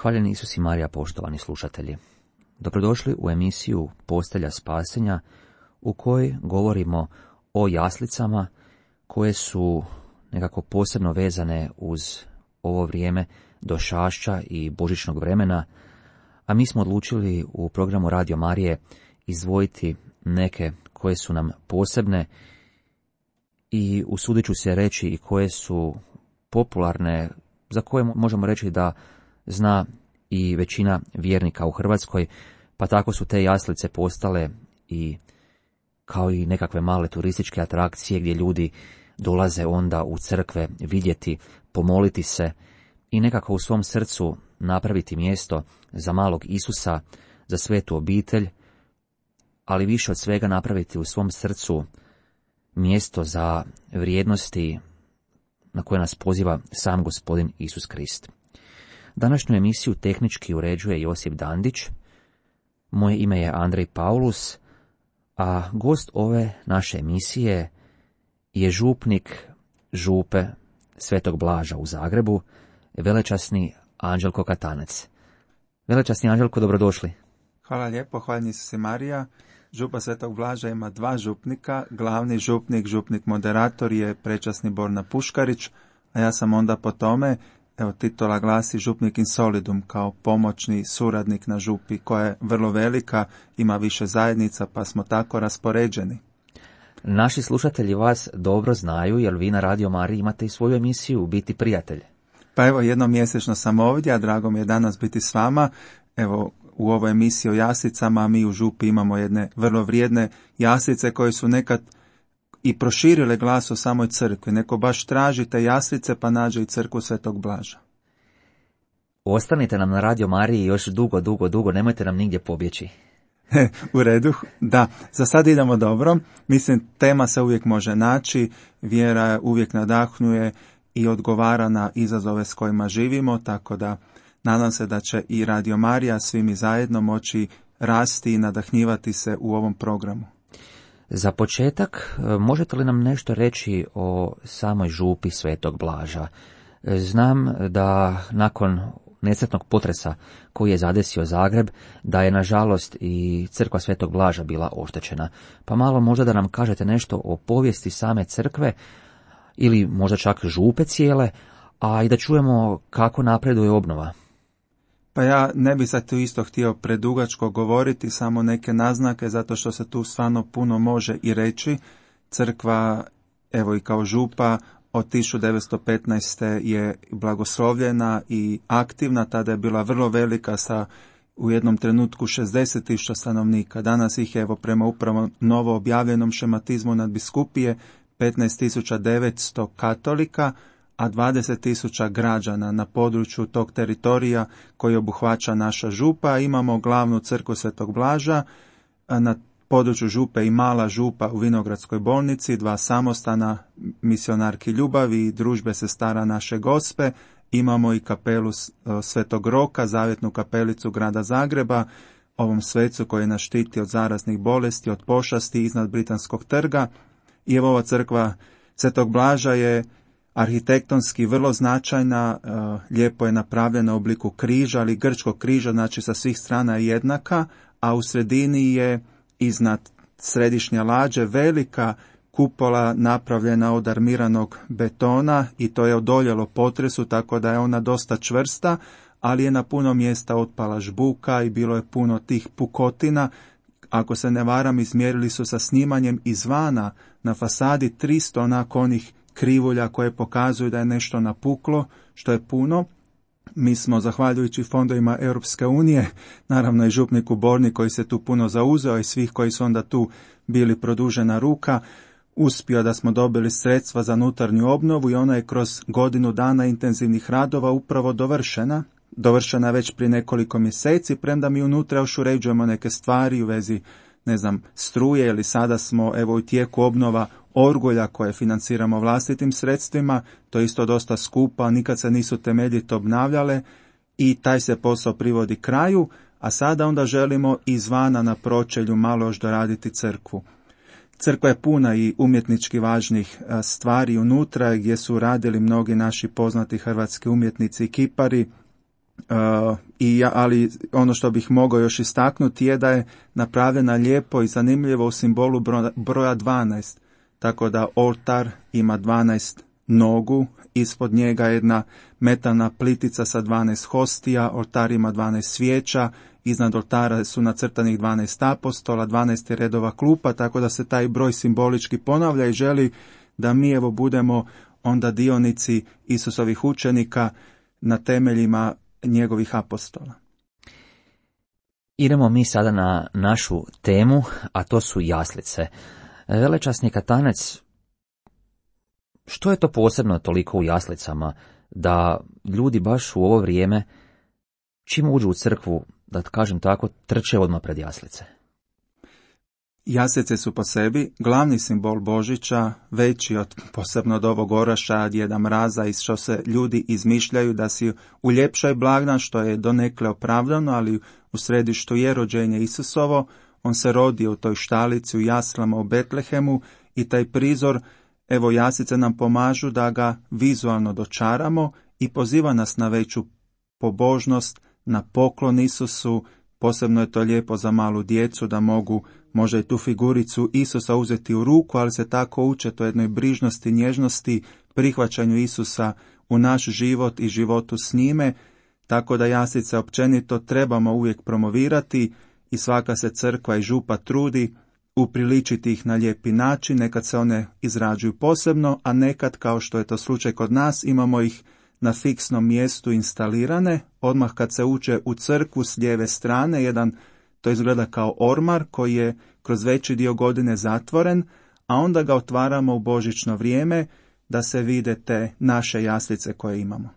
Hvaljeni Isus i Marija, poštovani slušatelji. Dobrodošli u emisiju Postelja spasenja, u kojoj govorimo o jaslicama koje su nekako posebno vezane uz ovo vrijeme došašća i božićnog vremena, a mi smo odlučili u programu Radio Marije izdvojiti neke koje su nam posebne i usudit ću se reći i koje su popularne, za koje možemo reći da zna i većina vjernika u Hrvatskoj, pa tako su te jaslice postale i kao i nekakve male turističke atrakcije gdje ljudi dolaze onda u crkve vidjeti, pomoliti se i nekako u svom srcu napraviti mjesto za malog Isusa, za svetu obitelj, ali više od svega napraviti u svom srcu mjesto za vrijednosti na koje nas poziva sam Gospodin Isus Krist. Današnju emisiju tehnički uređuje Josip Dandić, moje ime je Andrej Paulus, a gost ove naše emisije je župnik župe Svetog Blaža u Zagrebu, velečasni Anđelko Katanec. Velečasni Anđelko, dobrodošli. Hvala lijepo, hvaljeni Isus i Marija. Župa Svetog Blaža ima dva župnika, glavni župnik moderator je prečasni Borna Puškarić, a ja sam onda po tome, titula glasi župnik in solidum, kao pomoćni suradnik na župi, koja je vrlo velika, ima više zajednica, pa smo tako raspoređeni. Naši slušatelji vas dobro znaju, jer vi na Radio Mariji imate i svoju emisiju Biti prijatelj. Pa evo, jednom mjesečno sam ovdje, a drago mi je danas biti s vama. Evo, u ovoj emisiji o jaslicama mi u župi imamo jedne vrlo vrijedne jaslice koje su nekad i proširile glas o samoj crkvi. Neko baš traži te jaslice pa nađe i crkvu Svetog Blaža. Ostanite nam na Radio Mariji još dugo, nemojte nam nigdje pobjeći. U redu, da, za sad idemo dobro. Mislim, tema se uvijek može naći, vjera uvijek nadahnjuje i odgovara na izazove s kojima živimo, tako da nadam se da će i Radio Marija svi mi zajedno moći rasti i nadahnjivati se u ovom programu. Za početak, možete li nam nešto reći o samoj župi Svetog Blaža? Znam da nakon nesretnog potresa koji je zadesio Zagreb, da je nažalost i crkva Svetog Blaža bila oštećena. Pa malo možda da nam kažete nešto o povijesti same crkve ili možda čak župe cijele, a i da čujemo kako napreduje obnova. Pa ja ne bi sad tu isto htio predugačko govoriti, samo neke naznake, zato što se tu stvarno puno može i reći. Crkva, evo i kao župa, od 1915. je blagoslovljena i aktivna, tada je bila vrlo velika sa u jednom trenutku 60.000 stanovnika. Danas ih je, evo prema upravo novo objavljenom šematizmu nadbiskupije, 15.900 katolika, a 20.000 građana na području tog teritorija koji obuhvaća naša župa. Imamo glavnu crkvu Svetog Blaža, na području župe i mala župa u Vinogradskoj bolnici, dva samostana misionarki ljubavi i družbe sestara naše Gospe. Imamo i kapelu Svetog Roka, zavjetnu kapelicu grada Zagreba, ovom svecu koji nas štiti od zaraznih bolesti, od pošasti iznad Britanskog trga. I evo ova crkva Svetog Blaža je arhitektonski vrlo značajna, lijepo je napravljena u obliku križa, ali grčkog križa, znači sa svih strana je jednaka, a u sredini je iznad središnje lađe velika kupola napravljena od armiranog betona i to je odoljelo potresu, tako da je ona dosta čvrsta, ali je na puno mjesta otpala žbuka i bilo je puno tih pukotina. Ako se ne varam, izmjerili su sa snimanjem izvana na fasadi 300 onako onih krivulja koje pokazuju da je nešto napuklo, što je puno. Mi smo, zahvaljujući fondovima Europske unije, naravno i župniku Borni koji se tu puno zauzeo i svih koji su onda tu bili produžena ruka, uspio da smo dobili sredstva za unutarnju obnovu i ona je kroz godinu dana intenzivnih radova upravo dovršena. Dovršena je već prije nekoliko mjeseci, premda mi unutra još uređujemo neke stvari u vezi, struje, ili sada smo evo u tijeku obnova orgulja koje financiramo vlastitim sredstvima, to je isto dosta skupa, nikad se nisu temeljito obnavljale i taj se posao privodi kraju, a sada onda želimo izvana na pročelju malo još doraditi crkvu. Crkva je puna i umjetnički važnih stvari unutra gdje su radili mnogi naši poznati hrvatski umjetnici i kipari. ali ono što bih mogao još istaknuti je da je napravljena lijepo i zanimljivo u simbolu broja 12. Tako da oltar ima 12 nogu, ispod njega jedna metalna plitica sa 12 hostija, oltar ima 12 svijeća, iznad oltara su nacrtanih 12 apostola, 12 redova klupa, tako da se taj broj simbolički ponavlja i želi da mi evo budemo onda dionici Isusovih učenika na temeljima njegovih apostola. Idemo mi sada na našu temu, a to su jaslice. Velečasni katanec, što je to posebno toliko u jaslicama, da ljudi baš u ovo vrijeme, čim uđu u crkvu, da kažem tako, trče odmah pred jaslice? Jaslice su po sebi glavni simbol Božića, veći od posebno od ovog oraša, Djeda Mraza, i što se ljudi izmišljaju da si uljepšaj blagdan, što je donekle opravdano, ali u središtu je rođenje Isusovo. On se rodio u toj štalici, u jaslama u Betlehemu, i taj prizor, evo, jaslice nam pomažu da ga vizualno dočaramo i poziva nas na veću pobožnost, na poklon Isusu. Posebno je to lijepo za malu djecu da mogu možda i tu figuricu Isusa uzeti u ruku, ali se tako uče to jednoj brižnosti, nježnosti, prihvaćanju Isusa u naš život i životu s njime, tako da jaslice općenito trebamo uvijek promovirati i svaka se crkva i župa trudi upriličiti ih na lijepi način. Nekad se one izrađuju posebno, a nekad, kao što je to slučaj kod nas, imamo ih na fiksnom mjestu instalirane, odmah kad se uđe u crkvu s lijeve strane, to izgleda kao ormar koji je kroz veći dio godine zatvoren, a onda ga otvaramo u božićno vrijeme da se vide te naše jaslice koje imamo.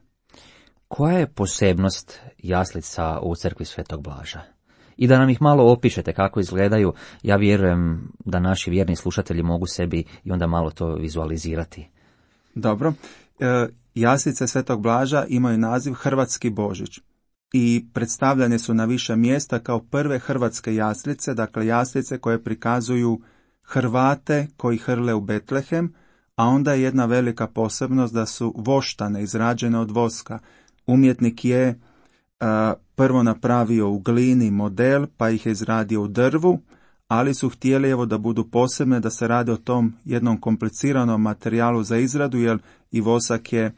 Koja je posebnost jaslica u crkvi Svetog Blaža? I da nam ih malo opišete kako izgledaju, ja vjerujem da naši vjerni slušatelji mogu sebi i onda malo to vizualizirati. Dobro. Jaslice Svetog Blaža imaju naziv Hrvatski Božić i predstavljane su na više mjesta kao prve hrvatske jaslice, dakle jaslice koje prikazuju Hrvate koji hrle u Betlehem, a onda je jedna velika posebnost da su voštane, izrađene od voska. Umjetnik je prvo napravio u glini model, pa ih je izradio u drvu, ali su htjeli evo da budu posebne, da se radi o tom jednom kompliciranom materijalu za izradu, jer i vosak je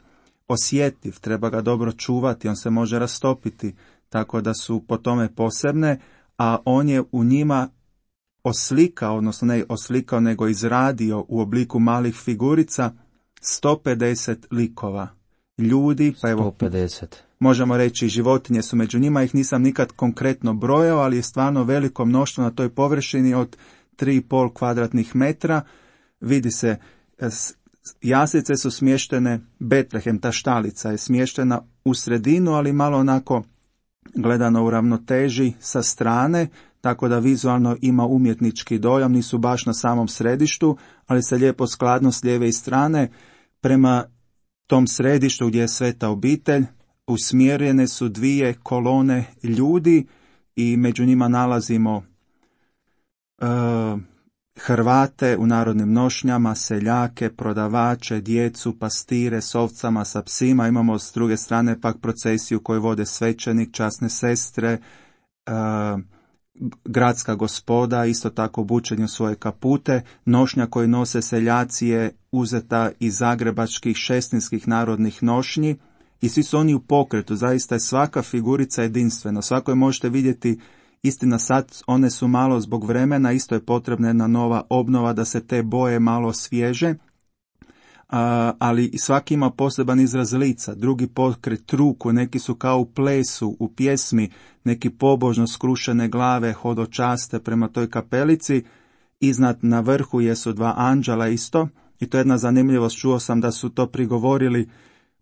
osjetljiv, treba ga dobro čuvati, on se može rastopiti, tako da su po tome posebne, a on je u njima oslikao, odnosno ne oslikao, nego izradio u obliku malih figurica 150 likova ljudi, pa evo 150. Možemo reći životinje su među njima, ih nisam nikad konkretno brojao, ali je stvarno veliko mnoštvo na toj površini od 3,5 kvadratnih metra. Vidi se, jaslice su smještene, Betlehem, ta štalica je smještena u sredinu, ali malo onako gledano u ravnoteži sa strane, tako da vizualno ima umjetnički dojam, nisu baš na samom središtu, ali se lijepo skladno s lijeve i strane prema tom središtu gdje je sveta obitelj usmjerene su dvije kolone ljudi i među njima nalazimo Hrvate u narodnim nošnjama, seljake, prodavače, djecu, pastire s ovcama, sa psima. Imamo s druge strane pak procesiju koju vode svećenik, časne sestre, gradska gospoda, isto tako obučeni u svoje kapute. Nošnja koju nose seljaci je uzeta iz zagrebačkih šestinskih narodnih nošnji i svi su oni u pokretu. Zaista je svaka figurica jedinstvena. Svako je možete vidjeti, istina sad one su malo zbog vremena, isto je potrebna jedna nova obnova da se te boje malo svježe, ali svaki ima poseban izraz lica, drugi pokret ruku, neki su kao u plesu, u pjesmi, neki pobožno skrušene glave hodočaste prema toj kapelici. Iznad na vrhu jesu dva anđela isto, i to je jedna zanimljivost, čuo sam da su to prigovorili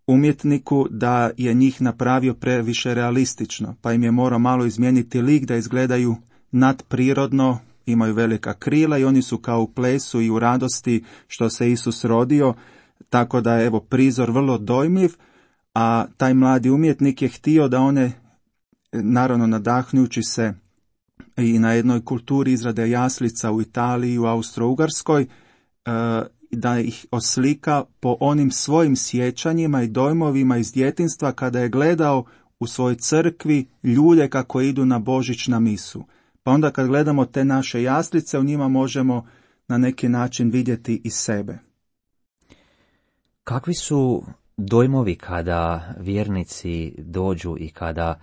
umjetniku da je njih napravio previše realistično, pa im je morao malo izmijeniti lik da izgledaju nadprirodno, imaju velika krila i oni su kao u plesu i u radosti što se Isus rodio, tako da je evo prizor vrlo dojmljiv, a taj mladi umjetnik je htio da one, naravno nadahnujući se i na jednoj kulturi izrade jaslica u Italiji i u Austro-Ugarskoj, da ih oslika po onim svojim sjećanjima i dojmovima iz djetinjstva kada je gledao u svojoj crkvi ljude kako idu na Božić na misu. Pa onda kad gledamo te naše jaslice, u njima možemo na neki način vidjeti i sebe. Kakvi su dojmovi kada vjernici dođu i kada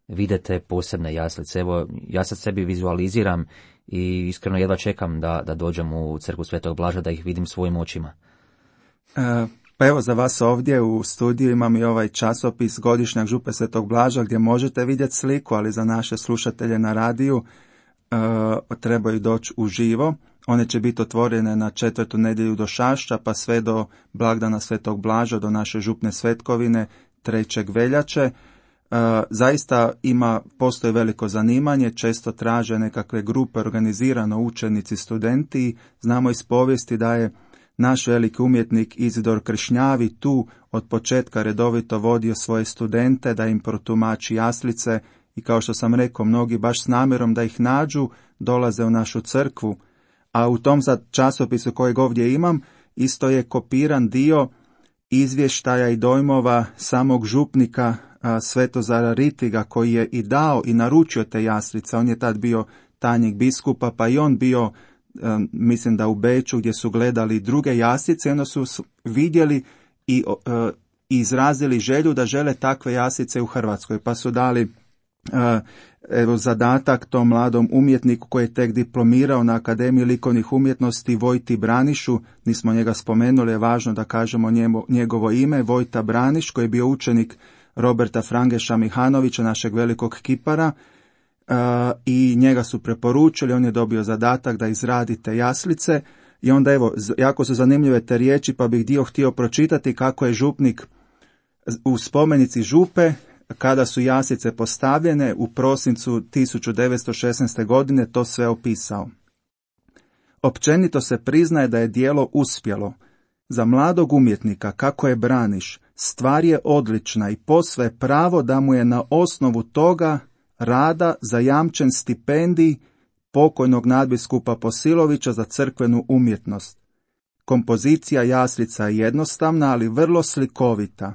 vidite posebne jaslice? Evo, ja sad sebi vizualiziram i iskreno jedva čekam da dođem u crkvu Svetog Blaža, da ih vidim svojim očima. Pa evo, za vas ovdje u studiju imam i ovaj časopis Godišnjak župe Svetog Blaža gdje možete vidjeti sliku, ali za naše slušatelje na radiju trebaju doći uživo. One će biti otvorene na 4. nedjelju do Šašća, pa sve do blagdana Svetog Blaža, do naše župne svetkovine 3. veljače. Zaista postoji veliko zanimanje, često traže nekakve grupe, organizirano učenici, studenti. Znamo iz povijesti da je naš veliki umjetnik Izidor Kršnjavi tu od početka redovito vodio svoje studente da im protumači jaslice i kao što sam rekao, mnogi baš s namjerom da ih nađu dolaze u našu crkvu. A u tom časopisu kojeg ovdje imam isto je kopiran dio izvještaja i dojmova samog župnika Svetozara Ritiga koji je i dao i naručio te jaslice. On je tad bio tajnik biskupa, pa i on bio, mislim da u Beču, gdje su gledali druge jaslice, onda su vidjeli i izrazili želju da žele takve jaslice u Hrvatskoj, pa su dali zadatak tom mladom umjetniku koji je tek diplomirao na Akademiji likovnih umjetnosti, Vojti Branišu. Nismo njega spomenuli, je važno da kažemo njegovo ime, Vojta Braniš, koji je bio učenik Roberta Frangeša Mihanovića, našeg velikog kipara, i njega su preporučili, on je dobio zadatak da izradi te jaslice. I onda evo, jako su zanimljive te riječi, pa bih htio pročitati kako je župnik u spomenici župe, kada su jaslice postavljene u prosincu 1916. godine, to sve opisao. Općenito se priznaje da je djelo uspjelo. Za mladog umjetnika, kako je Braniš, stvar je odlična i posve pravo da mu je na osnovu toga rada zajamčen stipendij pokojnog nadbiskupa Posilovića za crkvenu umjetnost. Kompozicija jaslica je jednostavna, ali vrlo slikovita.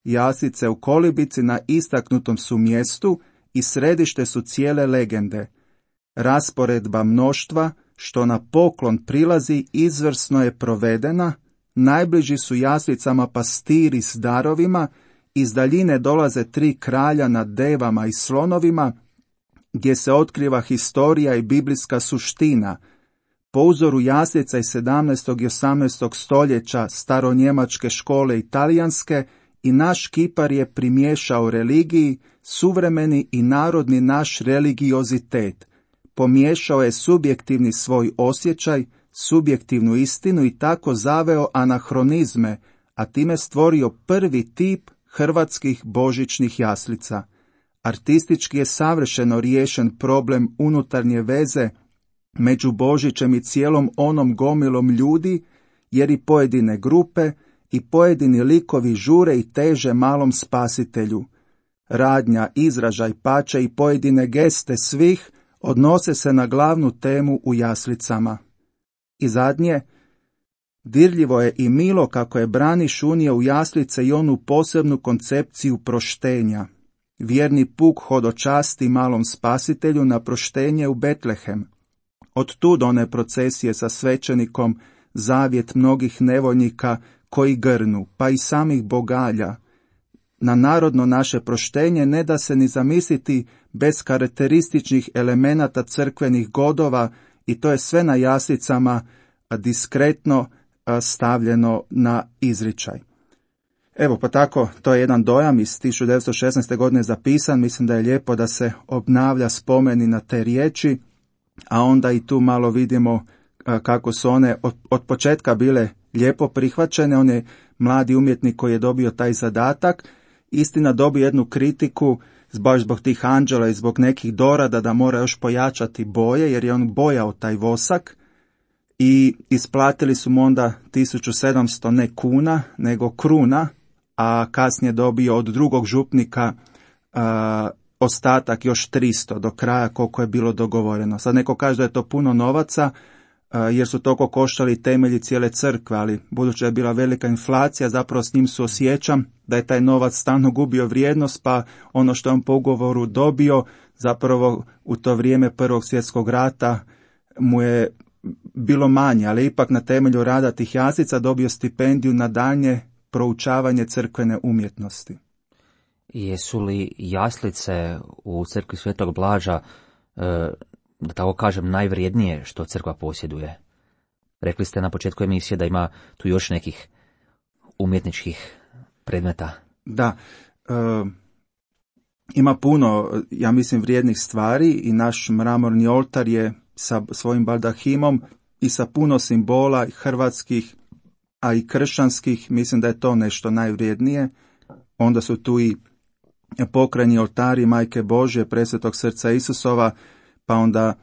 Jaslice u kolibici na istaknutom su mjestu i središte su cijele legende. Rasporedba mnoštva, što na poklon prilazi, izvrsno je provedena, najbliži su jaslicama pastiri s darovima, iz daljine dolaze 3 kralja nad devama i slonovima, gdje se otkriva historija i biblijska suština. Po uzoru jaslica iz 17. i 18. stoljeća staronjemačke škole i talijanske, i naš kipar je primiješao religiji, suvremeni i narodni naš religiozitet. Pomiješao je subjektivni svoj osjećaj, subjektivnu istinu i tako zaveo anahronizme, a time stvorio prvi tip hrvatskih božićnih jaslica. Artistički je savršeno riješen problem unutarnje veze među Božićem i cijelom onom gomilom ljudi, jer i pojedine grupe i pojedini likovi žure i teže malom spasitelju. Radnja, izražaj, pače i pojedine geste svih odnose se na glavnu temu u jaslicama. I zadnje, dirljivo je i milo kako je Braniš unio u jaslice i onu posebnu koncepciju proštenja. Vjerni puk hodočasti malom spasitelju na proštenje u Betlehem. Od tud one procesije sa svećenikom, zavjet mnogih nevoljnika koji grnu, pa i samih bogalja. Na narodno naše proštenje ne da se ni zamisliti bez karakterističnih elemenata crkvenih godova, i to je sve na jaslicama diskretno stavljeno na izričaj. Evo, pa tako, to je jedan dojam iz 1916. godine zapisan. Mislim da je lijepo da se obnavlja spomeni na te riječi, a onda i tu malo vidimo kako su one od početka bile lijepo prihvaćene. On je mladi umjetnik koji je dobio taj zadatak, istina dobio jednu kritiku baš zbog tih anđela i zbog nekih dorada da mora još pojačati boje, jer je on bojao taj vosak, i isplatili su mu onda 1700 ne kuna, nego kruna, a kasnije dobio od drugog župnika ostatak još 300 do kraja koliko je bilo dogovoreno. Sad neko kaže da je to puno novaca, jer su toliko koštali temelji cijele crkve, ali budući da je bila velika inflacija, zapravo s njim osjećam da je taj novac stalno gubio vrijednost, pa ono što je on po ugovoru dobio, zapravo u to vrijeme Prvog svjetskog rata mu je bilo manje, ali ipak na temelju rada tih jaslica dobio stipendiju na daljnje proučavanje crkvene umjetnosti. Jesu li jaslice u crkvi Svetog Blaža, da tako kažem, najvrijednije što crkva posjeduje? Rekli ste na početku emisije da ima tu još nekih umjetničkih predmeta. Da, ima puno, ja mislim, vrijednih stvari i naš mramorni oltar je sa svojim baldahimom i sa puno simbola hrvatskih, a i kršćanskih. Mislim da je to nešto najvrijednije. Onda su tu i pokrajni oltari Majke Božje, Presvetog srca Isusova, pa onda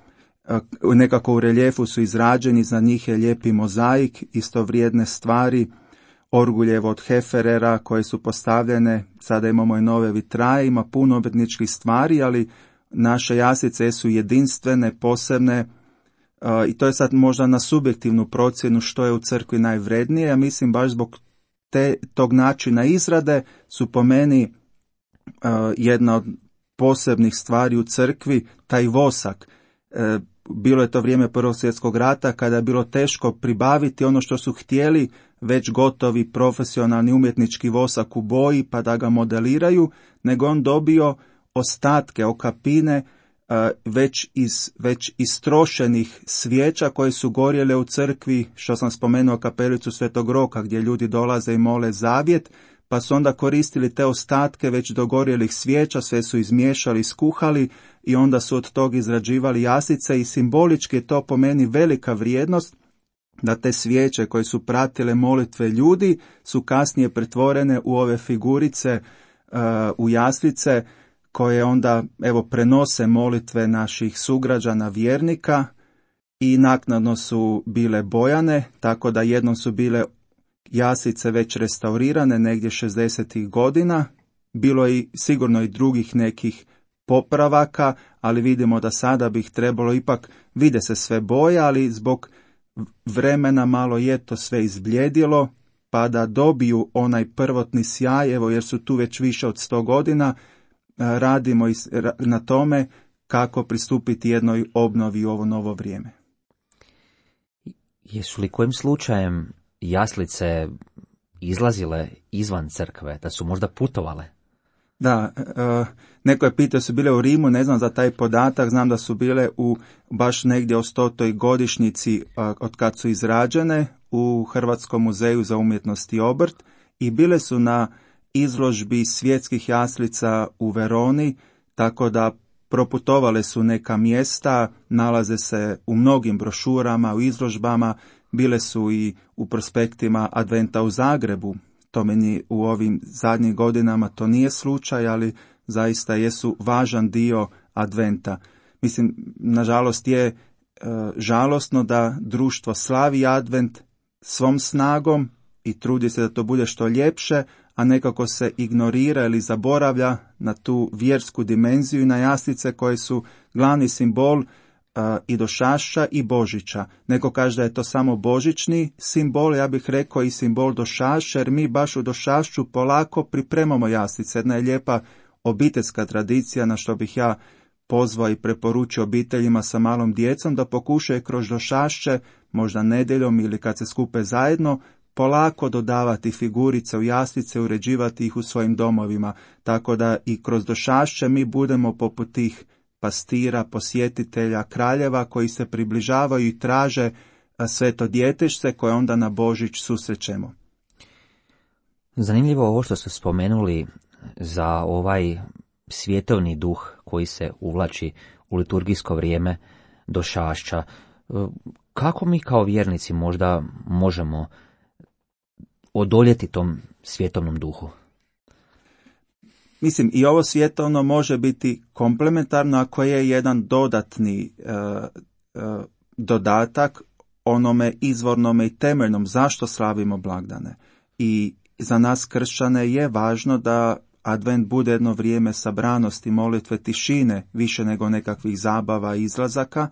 nekako u reljefu su izrađeni, za njih je lijepi mozaik, isto vrijedne stvari, orguljevo od Heferera koje su postavljene, sada imamo i nove vitraje, ima puno umjetničkih stvari, ali naše jaslice su jedinstvene, posebne, i to je sad možda na subjektivnu procjenu što je u crkvi najvrednije. Ja mislim baš zbog tog načina izrade su po meni jedna od posebnih stvari u crkvi taj vosak. Bilo je to vrijeme Prvog svjetskog rata kada je bilo teško pribaviti ono što su htjeli, već gotovi profesionalni umjetnički vosak u boji pa da ga modeliraju, nego on dobio ostatke, okapine već istrošenih svijeća koje su gorjele u crkvi, što sam spomenuo kapelicu Svetog Roka gdje ljudi dolaze i mole zavjet, pa su onda koristili te ostatke već dogorjelih svijeća, sve su izmiješali, skuhali i onda su od tog izrađivali jaslice i simbolički je to po meni velika vrijednost da te svijeće koje su pratile molitve ljudi su kasnije pretvorene u ove figurice, u jaslice koje onda prenose molitve naših sugrađana vjernika i naknadno su bile bojane, tako da jednom su bile jaslice već restaurirane negdje 60. godina, bilo je sigurno i drugih nekih popravaka, ali vidimo da sada bi ih trebalo ipak, vide se sve boje, ali zbog vremena malo je to sve izbljedilo, pa da dobiju onaj prvotni sjaj, jer su tu već više od 100 godina, radimo na tome kako pristupiti jednoj obnovi u ovo novo vrijeme. Jesu li kojim slučajem jaslice izlazile izvan crkve, da su možda putovale? Da, neko je pitao, su bile u Rimu, ne znam za taj podatak, znam da su bile baš negdje o 100. godišnjici od kad su izrađene u Hrvatskom muzeju za umjetnost i obrt i bile su na izložbi svjetskih jaslica u Veroni, tako da proputovale su neka mjesta, nalaze se u mnogim brošurama, u izložbama, bile su i u prospektima Adventa u Zagrebu. To meni u ovim zadnjim godinama to nije slučaj, ali zaista jesu važan dio Adventa. Mislim, nažalost je žalosno da društvo slavi Advent svom snagom i trudi se da to bude što ljepše, a nekako se ignorira ili zaboravlja na tu vjersku dimenziju i na jaslice koje su glavni simbol i Došašća i Božića. Neko kaže da je to samo božićni simbol, ja bih rekao i simbol Došašća, jer mi baš u Došašću polako pripremamo jaslice. Jedna je lijepa obiteljska tradicija na što bih ja pozvao i preporučio obiteljima sa malom djecom da pokušaju kroz Došašće, možda nedjeljom ili kad se skupe zajedno, polako dodavati figurice u jaslice, uređivati ih u svojim domovima, tako da i kroz Došašće mi budemo poput tih pastira, posjetitelja, kraljeva koji se približavaju i traže sveto djetešce koje onda na Božić susrećemo. Zanimljivo ovo što ste spomenuli za ovaj svjetovni duh koji se uvlači u liturgijsko vrijeme Došašća. Kako mi kao vjernici možda možemo odoljeti tom svjetovnom duhu? Mislim, i ovo svjetovno može biti komplementarno ako je jedan dodatni dodatak onome izvornome i temeljnom zašto slavimo blagdane. I za nas kršćane je važno da Advent bude jedno vrijeme sabranosti, molitve, tišine, više nego nekakvih zabava i izlazaka.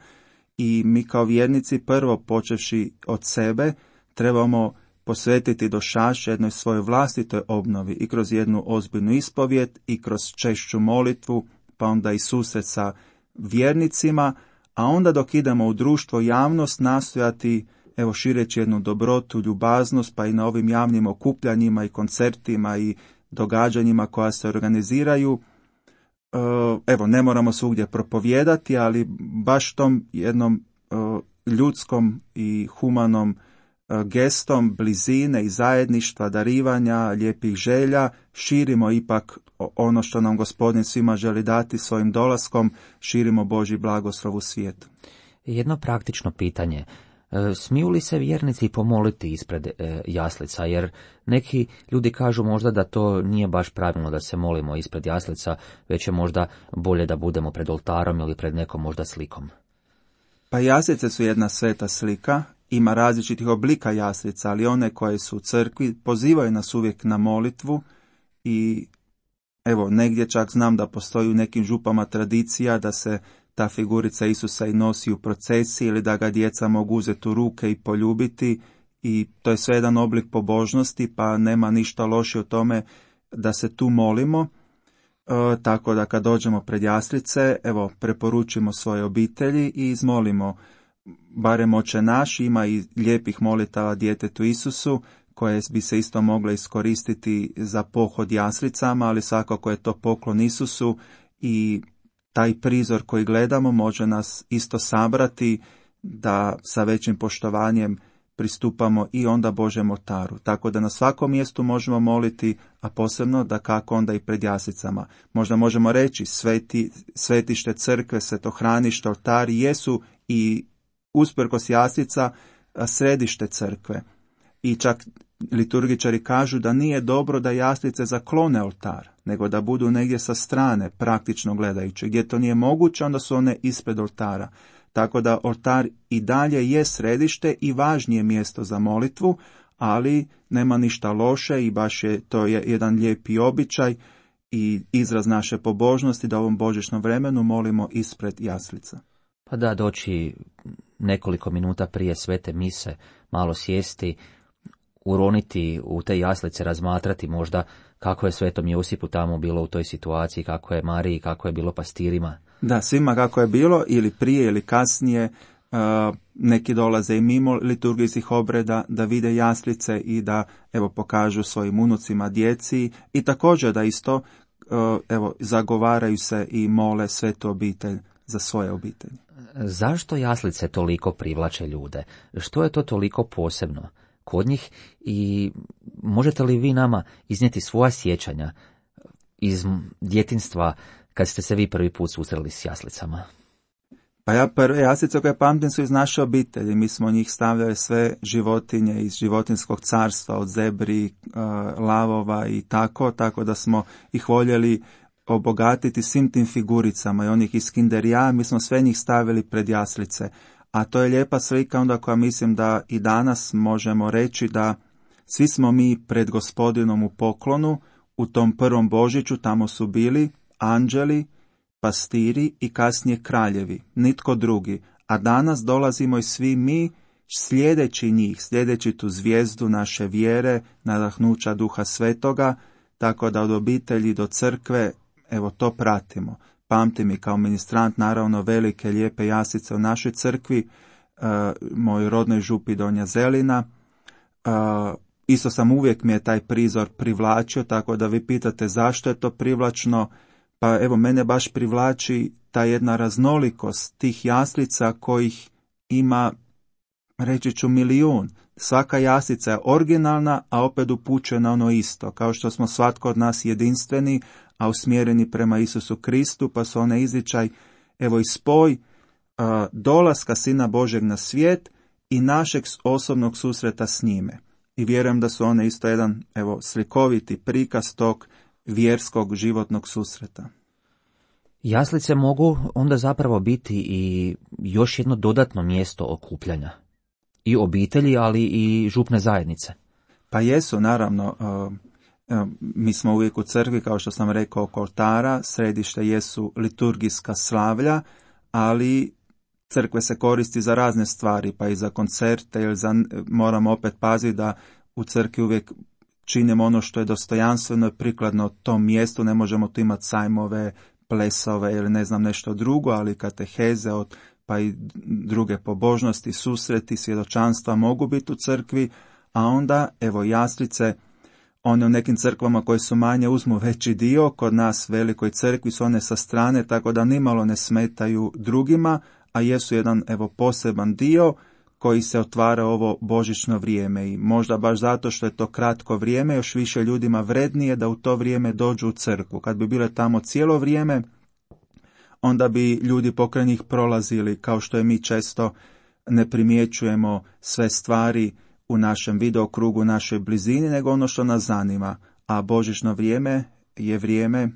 i mi kao vjernici prvo počevši od sebe trebamo posvetiti došaš jednoj svojoj vlastitoj obnovi i kroz jednu ozbiljnu ispovijed i kroz češću molitvu, pa onda i susret sa vjernicima, a onda dok idemo u društvo, javnost, nastojati, evo, šireći jednu dobrotu, ljubaznost, pa i na ovim javnim okupljanjima i koncertima i događanjima koja se organiziraju. Evo, ne moramo svugdje propovijedati, ali baš tom jednom ljudskom i humanom gestom blizine i zajedništva, darivanja, lijepih želja, širimo ipak ono što nam Gospodin svima želi dati svojim dolaskom, širimo Božji blagoslov u svijetu. Jedno praktično pitanje. Smiju li se vjernici pomoliti ispred jaslica? Jer neki ljudi kažu možda da to nije baš pravilno da se molimo ispred jaslica, već je možda bolje da budemo pred oltarom ili pred nekom možda slikom. Pa jaslice su jedna sveta slika. Ima različitih oblika jaslica, ali one koje su u crkvi pozivaju nas uvijek na molitvu i evo, negdje čak znam da postoji u nekim župama tradicija da se ta figurica Isusa i nosi u procesiji ili da ga djeca mogu uzeti u ruke i poljubiti i to je sve jedan oblik pobožnosti, pa nema ništa loše u tome da se tu molimo. Tako da kad dođemo pred jaslice, evo, preporučimo svoje obitelji i izmolimo barem Oče naš. Ima i lijepih molitava djetetu Isusu koje bi se isto mogle iskoristiti za pohod jaslicama, ali svakako je to poklon Isusu i taj prizor koji gledamo može nas isto sabrati da sa većim poštovanjem pristupamo i onda Božjem oltaru. Tako da na svakom mjestu možemo moliti, a posebno da kako onda i pred jaslicama. Možda možemo reći svetište crkve, svetohranište, oltari jesu i usprkos jaslica središte crkve. I čak liturgičari kažu da nije dobro da jaslice zaklone oltar, nego da budu negdje sa strane, praktično gledajući. Gdje to nije moguće, onda su one ispred oltara. Tako da oltar i dalje je središte i važnije mjesto za molitvu, ali nema ništa loše i baš je to jedan lijepi običaj i izraz naše pobožnosti da u ovom božićnom vremenu molimo ispred jaslica. Pa da, doći nekoliko minuta prije svete mise, malo sjesti, uroniti u te jaslice, razmatrati možda kako je svetom Josipu tamo bilo u toj situaciji, kako je Mariji, kako je bilo pastirima. Da, svima kako je bilo, ili prije ili kasnije, neki dolaze i mimo liturgijskih obreda da vide jaslice i da evo pokažu svojim unucima, djeci i također da isto evo zagovaraju se i mole svetu obitelj za svoje obitelji. Zašto jaslice toliko privlače ljude? Što je to toliko posebno kod njih i možete li vi nama iznijeti svoja sjećanja iz djetinjstva kad ste se vi prvi put susreli s jaslicama? Pa ja prve jaslice koje pamtim su iz naše obitelji. Mi smo njih stavljali sve životinje iz životinjskog carstva, od zebri, lavova i tako da smo ih voljeli obogatiti svim tim figuricama i onih iz Kinderija, mi smo sve njih stavili pred jaslice. A to je lijepa slika onda koja mislim da i danas možemo reći da svi smo mi pred Gospodinom u poklonu, u tom prvom Božiću tamo su bili anđeli, pastiri i kasnije kraljevi, nitko drugi. A danas dolazimo i svi mi slijedeći njih, slijedeći tu zvijezdu naše vjere, nadahnuća Duha Svetoga, tako da od obitelji do crkve, evo to pratimo. Pamtim i kao ministrant naravno velike lijepe jaslice u našoj crkvi, moj rodnoj župi Donja Zelina. Isto sam uvijek mi je taj prizor privlačio, tako da vi pitate zašto je to privlačno. Pa evo, mene baš privlači ta jedna raznolikost tih jaslica kojih ima, reći ću, 1.000.000. Svaka jaslica je originalna, a opet upućuje na ono isto. Kao što smo svatko od nas jedinstveni, a usmjereni prema Isusu Kristu, pa su one izričaj, evo i spoj dolaska Sina Božeg na svijet i našeg osobnog susreta s njime. I vjerujem da su one isto jedan, evo, slikoviti prikaz tog vjerskog životnog susreta. Jaslice mogu onda zapravo biti i još jedno dodatno mjesto okupljanja. I obitelji, ali i župne zajednice. Pa jesu, naravno. Mi smo uvijek u crkvi, kao što sam rekao, oko oltara, središte jesu liturgijska slavlja, ali crkve se koristi za razne stvari, pa i za koncerte, ili moramo opet paziti da u crkvi uvijek činimo ono što je dostojanstveno i prikladno tom mjestu, ne možemo tu imati sajmove, plesove ili ne znam nešto drugo, ali kateheze, pa i druge pobožnosti, susreti, svjedočanstva mogu biti u crkvi, a onda, evo, jaslice, one u nekim crkvama koje su manje uzmu veći dio, kod nas velikoj crkvi su one sa strane, tako da nimalo ne smetaju drugima, a jesu jedan, evo, poseban dio koji se otvara ovo božićno vrijeme i možda baš zato što je to kratko vrijeme, još više ljudima vrednije da u to vrijeme dođu u crkvu. Kad bi bile tamo cijelo vrijeme, onda bi ljudi pokraj njih prolazili, kao što je mi često ne primjećujemo sve stvari u našem videokrugu, u našoj blizini, nego ono što nas zanima. A božićno vrijeme je vrijeme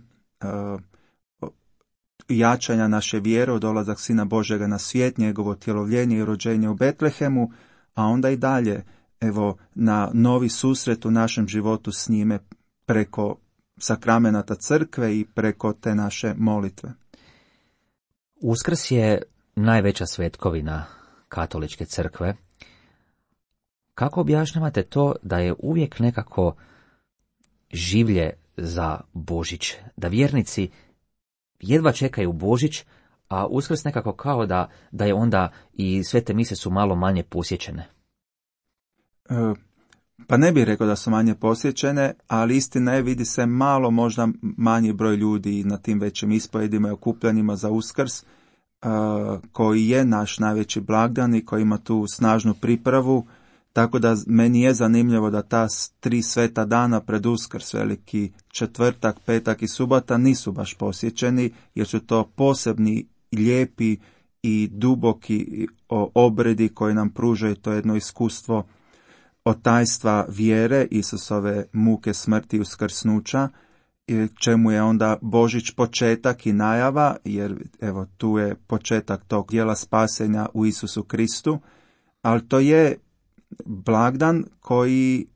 jačanja naše vjere, dolazak Sina Božjega na svijet, njegovo tjelovljenje i rođenje u Betlehemu, a onda i dalje, evo, na novi susret u našem životu s njime preko sakramenata crkve i preko te naše molitve. Uskrs je najveća svetkovina katoličke crkve. Kako objašnjavate to da je uvijek nekako življe za Božić, da vjernici jedva čekaju Božić, a Uskrs nekako kao da je onda i svete mise su malo manje posjećene? Pa ne bih rekao da su manje posjećene, ali istina je, vidi se malo možda manji broj ljudi na tim većim ispovedima i okupljanjima za Uskrs, koji je naš najveći blagdan i koji ima tu snažnu pripravu, tako da meni je zanimljivo da ta 3 sveta dana pred Uskrs, veliki četvrtak, petak i subota, nisu baš posjećeni, jer su to posebni, lijepi i duboki obredi koji nam pružaju to jedno iskustvo od tajstva vjere, Isusove muke, smrti i uskrsnuća, čemu je onda Božić početak i najava, jer evo tu je početak tog djela spasenja u Isusu Kristu, ali to je blagdan koji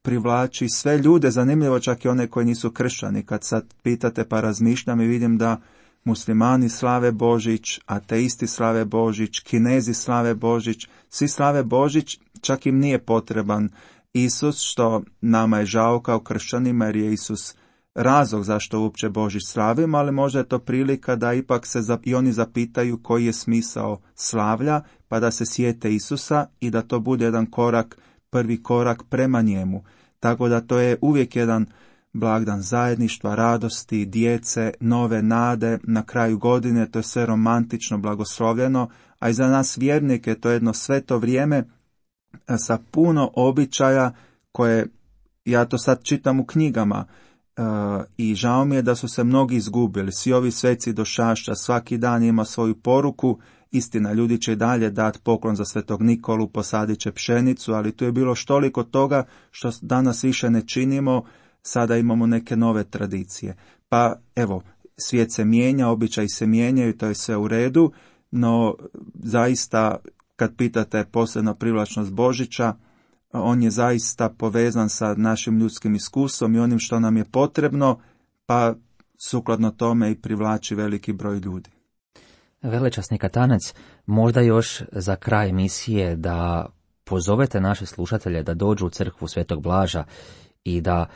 privlači sve ljude, zanimljivo čak i one koji nisu kršćani. Kad sad pitate pa razmišljam i vidim da muslimani slave Božić, ateisti slave Božić, Kinezi slave Božić, svi slave Božić, čak im nije potreban Isus, što nama je žao kao kršćanima, jer je Isus razlog zašto uopće Božić slavimo, ali možda je to prilika da ipak se i oni zapitaju koji je smisao slavlja, pa da se sjete Isusa i da to bude jedan korak, prvi korak prema njemu. Tako da to je uvijek jedan blagdan zajedništva, radosti, djece, nove nade, na kraju godine, to je sve romantično, blagoslovljeno, a i za nas vjernike to je jedno sveto vrijeme sa puno običaja koje, ja to sad čitam u knjigama, i žao mi je da su se mnogi izgubili. Svi ovi sveci došašća, svaki dan ima svoju poruku. Istina, ljudi će i dalje dati poklon za Svetog Nikolu, posadit će pšenicu, ali tu je bilo štoliko toga što danas više ne činimo, sada imamo neke nove tradicije. Pa evo, svijet se mijenja, običaji se mijenjaju, to je sve u redu, no zaista kad pitate posebno privlačnost Božića, on je zaista povezan sa našim ljudskim iskustvom i onim što nam je potrebno, pa sukladno tome i privlači veliki broj ljudi. Velečasni katanac, možda još za kraj emisije da pozovete naše slušatelje da dođu u crkvu Svetog Blaža i da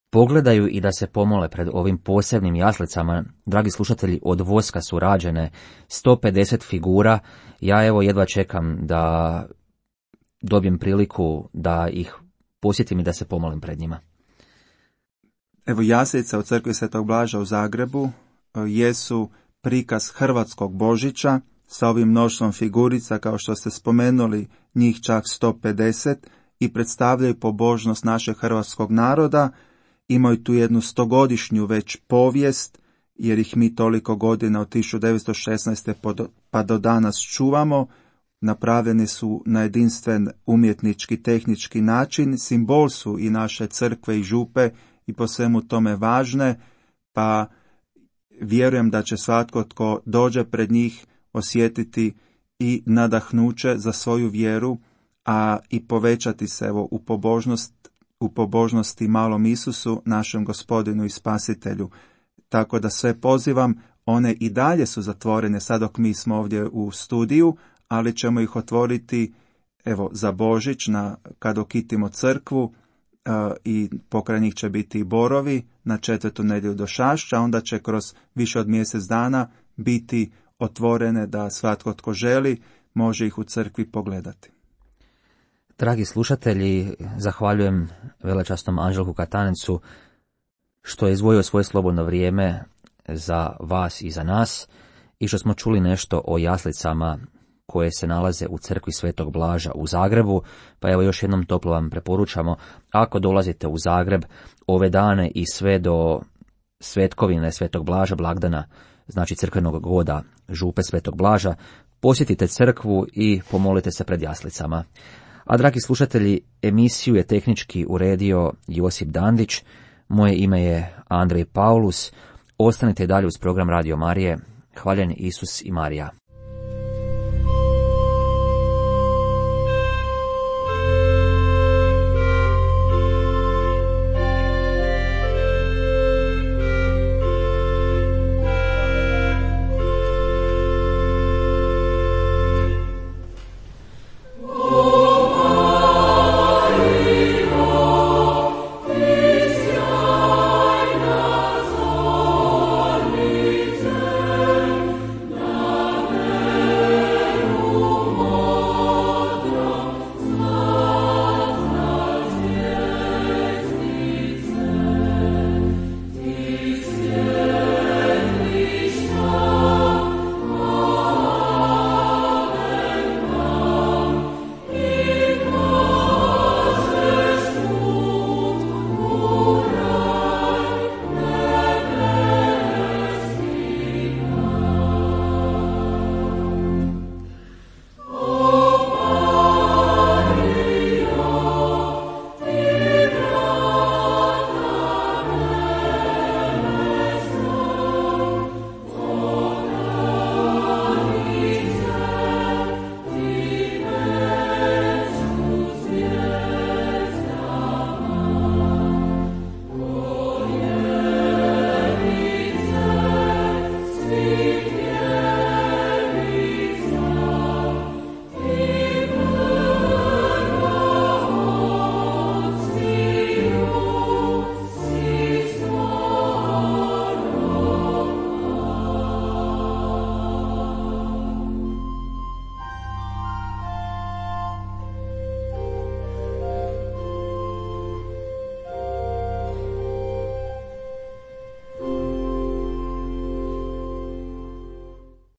pogledaju i da se pomole pred ovim posebnim jaslicama. Dragi slušatelji, od voska su rađene 150 figura. Ja evo jedva čekam da dobijem priliku da ih posjetim i da se pomolim pred njima. Evo, jaslice u crkvi Svetog Blaža u Zagrebu jesu prikaz hrvatskog Božića sa ovim mnoštvom figurica, kao što ste spomenuli, njih čak 150, i predstavljaju pobožnost našeg hrvatskog naroda. Imaju tu jednu 100-godišnju već povijest, jer ih mi toliko godina od 1916. pa do danas čuvamo. Napravljeni su na jedinstven umjetnički, tehnički način, simbol su i naše crkve i župe i po svemu tome važne, pa vjerujem da će svatko tko dođe pred njih osjetiti i nadahnuće za svoju vjeru, a i povećati se evo u pobožnosti malom Isusu, našem Gospodinu i Spasitelju. Tako da sve pozivam, one i dalje su zatvorene sad dok mi smo ovdje u studiju, ali ćemo ih otvoriti evo za Božić kad okitimo crkvu i pokraj njih će biti i borovi na 4. nedjelju do Šašća, onda će kroz više od mjesec dana biti otvorene da svatko tko želi može ih u crkvi pogledati. Dragi slušatelji, zahvaljujem velečasnom Anđelku Katanencu što je izdvojio svoje slobodno vrijeme za vas i za nas i što smo čuli nešto o jaslicama koje se nalaze u crkvi Svetog Blaža u Zagrebu, pa evo još jednom toplo vam preporučamo, ako dolazite u Zagreb ove dane i sve do Svetkovine Svetog Blaža, blagdana, znači crkvenog goda Župe Svetog Blaža, posjetite crkvu i pomolite se pred jaslicama. A dragi slušatelji, emisiju je tehnički uredio Josip Dandić, moje ime je Andrej Paulus, ostanite dalje uz program Radio Marije. Hvaljen Isus i Marija.